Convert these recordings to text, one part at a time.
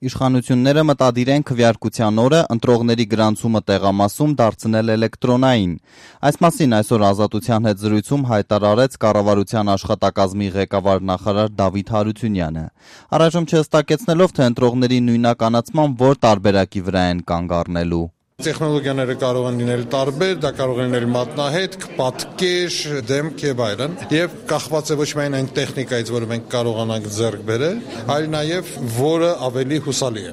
Իշխանությունները մտադիր են քվեարկության օրը ընտրողների գրանցումը տեղամասում դարձնել էլեկտրոնային։ Այս մասին այսօր Ազատության հետ զրույցում հայտարարեց կառավարության աշխատակազմի ղեկավար նախարար Դավիթ Հարությունյանը։ Առայժմ չհստակեցնելով, թե ընտրողների նույնականացման որ տարբերակի վրա են կանգ առնելու։ Տեխնոլոգիաները կարող են լինել տարբեր, դա կարող է լինել մատնահետք, պատկեր, դեմք եւ այլն, եւ կախված է ոչ միայն այն տեխնիկայից, որը մենք կարողանանք ձեռք բերել, այլ նաեւ որը ավելի հուսալի է։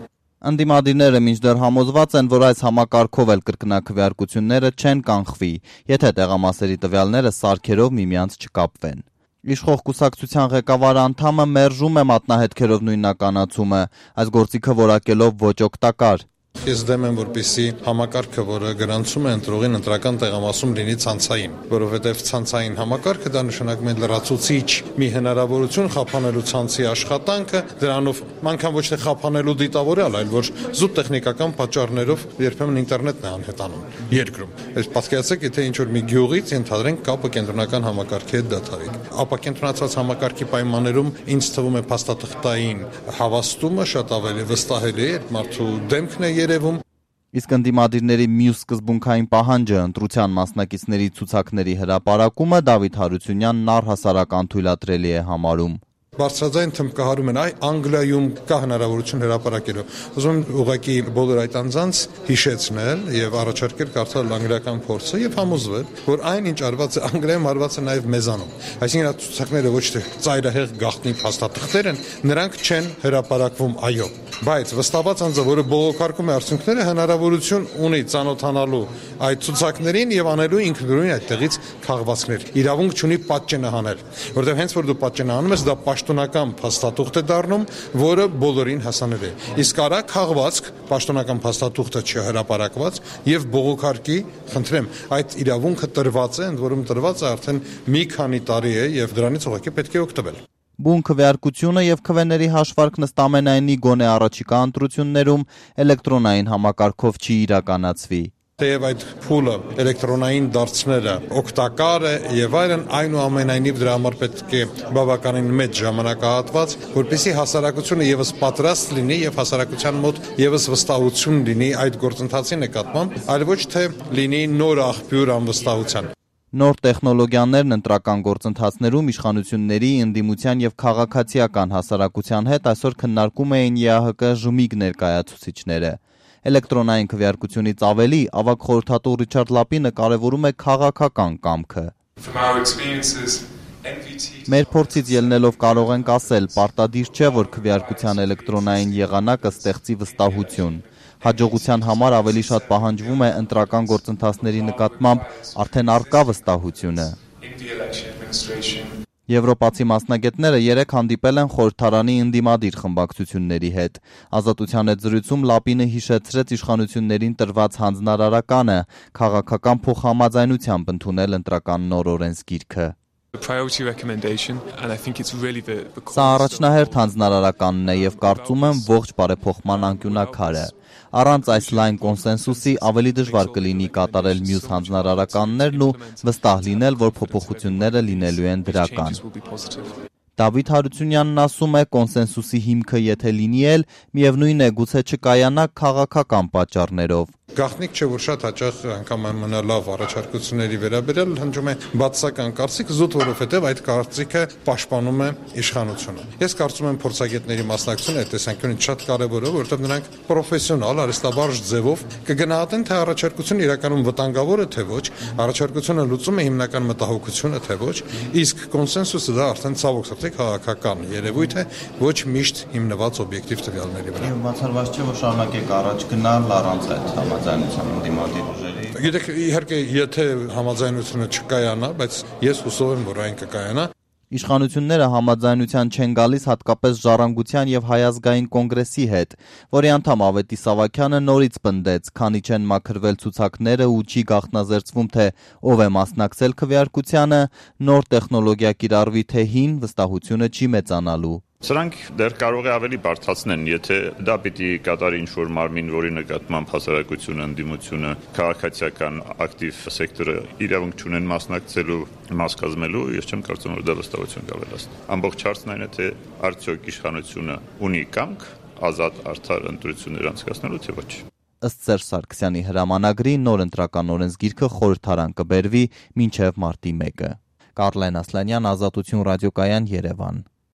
Ընդդիմադիրները մինչդեռ համոզված են, որ այս համակարգով էլ կրկնակվեարկությունները չեն կանխվի, եթե տեղամասերի տվյալները սարքերով միմյանց չկապվեն։ Իշխող կուսակցության ղեկավար անդամը մերժում է մատնահետքերով նույնականացումը, այս գործիքը որակելով ոչ օգտակար։ Ես դեմ եմ, որպեսզի համակարգը, որը գրանցում է ընտրողին ընտրական տեղամասում լինի ցանցային, որովհետև ցանցային համակարգը դա նշանակում է լրացուցիչ մի հնարավորություն խափանելու ցանցի աշխատանքը, դրանով անգամ ոչ թե խափանելու դիտավորյալ, այլ որ զուտ տեխնիկական պատճառներով երբեմն ինտերնետն է անհետանում երկրում։ Այս պատկերացրեք, եթե ինչ-որ մի գյուղից ընդհանրենք կապը կենտրոնական համակարգի հետ դադարի, ապա կենտրոնացված համակարգի պայմաններում ինձ թվում է փաստաթղթային հավաստումը շատ ավելի վստահելի է, մարդու դեմքն է երևում։ Իսկ ընդդիմադիրների մյուս սկզբունքային պահանջը ընտրության մասնակիցների ցուցակների հրապարակումը Դավիթ Հարությունյանն առհասարական թույլատրելի է համարում։ Բարձրաձայն թմբկահարում են, Անգլիայում կա հնարավորություն հրապարակելու։ Ուզում եմ ուղղակի բոլոր այդ անձանց հիշեցնել եւ առաջարկել կարդալ անգլիական փորձը եւ համոզվել, որ այն ինչ արված է Անգլիայում, արված է նաեւ մեզանում։ Այսինքն այդ ցուցակները ոչ թե ծայրահեղ գաղտնի փաստաթղթեր են, նրանք չեն հրապարակվում, այո, բայց վստահված անձը, որը բողոքարկում է արդյունքները, հնարավորություն ունի ծանոթանալու այդ ցուցակներին եւ անելու ինքնուրույն այդտեղից քաղվածքներ։ Իրավունք չունի պատճենը հանել, որովհետեւ հենց որ դու պատճենը հանում ես, դա պաշտոնական փաստաթուղթ է դառնում, որը բոլորին հասանելի է։ Իսկ արա քաղվածք, պաշտոնական փաստաթուղթը չհրապարակված եւ բողոքարկի, խնդրեմ, այդ իրավունքը տրված է, ընդ որում տրված է արդեն մի քանի տարի է եւ դրանից ուղղակի պետք է օգտվել։ Բուն քվեարկությունը եւ քվեների հաշվարկն ըստ ամենայնի գոնե առաջիկա ընտրություններում էլեկտրոնային համակարգով չի իրականացվի։ Թեև այդ փուլը էլեկտրոնային դարձնելը օգտակար է եւ այլն, այնուամենայնիվ դրա համար պետք է բավականին մեծ ժամանակահատված, որպեսզի հասարակությունը եւս պատրաստ լինի եւ հասարակության մոտ եւս վստահություն լինի այդ գործընթացի նկատմամբ, այլ ոչ թե լինի նոր աղբյուր անվստահության։ Նոր տեխնոլոգիաներն ընտրական գործընթացներում իշխանությունների, ընդդիմության եւ քաղաքացիական հասարակության հետ այսօր քննարկում էին ԵԱՀԿ ԺՄԻԳ ներկայացուցիչները։ Էլեկտրոնային քվեարկությունից ավելի ավագ խորհրդատու Ռիչարդ Լապինը կարևորում է քաղաքական կամքը։ Մեր փորձից ելնելով կարող ենք ասել, պարտադիր չէ, որ քվեարկության էլեկտրոնային եղանակը ստեղծի վստահություն։ Հաջողության համար ավելի շատ պահանջվում է ընտրական գործընթացների նկատմամբ արդեն առկա վստահությունը։ Եվրոպացի մասնագետները երեկ հանդիպել են խորհրդարանի ընդդիմադիր խմբակցությունների հետ։ Ազատության հետ զրույցում Լապինը հիշեցրեց իշխանություններին տրված հանձնարարականը քաղաքական փոխհամաձայնությամբ ընդունել ընտրական նոր օրենսգիրքը։ Սա առաջնահերթ հանձնարարականն է եւ կարծում եմ ողջ բարեփոխման անկյունաքարը։ Առանց այս լայն կոնսենսուսի ավելի դժվար կլինի կատարել մյուս հանձնարարականներն ու վստահ լինել, որ փոփոխությունները լինելու են դրական։ Դավիթ Հարությունյանն ասում է, կոնսենսուսի հիմքը եթե լինի էլ, միևնույն է գուցե չկայանա քաղաքական պատճառներով։ Գաղտնիք չէ, որ շատ հաճախ անգամ ամենալավ առաջարկությունների վերաբերյալ հնչում է բացասական կարծիք, զուտ որովհետև այդ կարծիքը պաշտպանում է իշխանությունը։ Ես կարծում եմ փորձագետների մասնակցությունը այդ տեսանկյունից շատ կարևոր է, որովհետև նրանք պրոֆեսիոնալ, արհեստաբարժ ձևով կգնահատեն, թե առաջարկությունը իրականում վտանգավոր է, թե ոչ, առաջարկությունը լուծում է հիմնական մտահոգությունը, թե ոչ, իսկ կոնսենսուսը դա արդեն ցավոք սրտի քաղաքական երևույթ է, ոչ միշտ հիմնված օբյեկտիվ տվյալների վրա։ Բացառված չէ, որ շարունակեք առաջ գնալ առանց այդ համաձայնության ընդդիմադիր ուժերի։ Գիտեք, իհարկե, եթե համաձայնությունը չկայանա, բայց ես հուսով եմ, որ այն կկայանա։ Իշխանությունները համաձայնության չեն գալիս հատկապես Ժառանգության եւ Հայ ազգային կոնգրեսի հետ, որի անդամ Ավետիս Սավակյանը նորից պնդեց, քանի չեն մաքրվել ցուցակները ու չի գաղտնազերծվում, թե ով է մասնակցել քվեարկությանը, նոր տեխնոլոգիա կիրառվի թե հին, վստահությունը չի մեծանալու։ Սրանք դեռ կարող է ավելի բարդացնեն, եթե դա պիտի կատարի ինչ-որ մարմին, որի նկատմամբ հասարակությունը, ընդդիմությունը, քաղաքացիական ակտիվ սեկտորը իրավունք չունեն մասնակցելու, մաս կազմելու, ես չեմ կարծում, որ դա վստահություն կավելացնի։ Ամբողջ հարցն այն է, թե արդյոք իշխանությունը ունի կամք ազատ արդար ընտրություններ անցկացնելու, թե ոչ։ Ըստ Սերժ Սարգսյանի հրամանագրի նոր ընտրական օրենսգիրքը խորհրդարան կբերվի մինչև մարտի 1-ը։ Կարլեն Ասլանյան, Ազատություն ռադիոկայան, Երևան։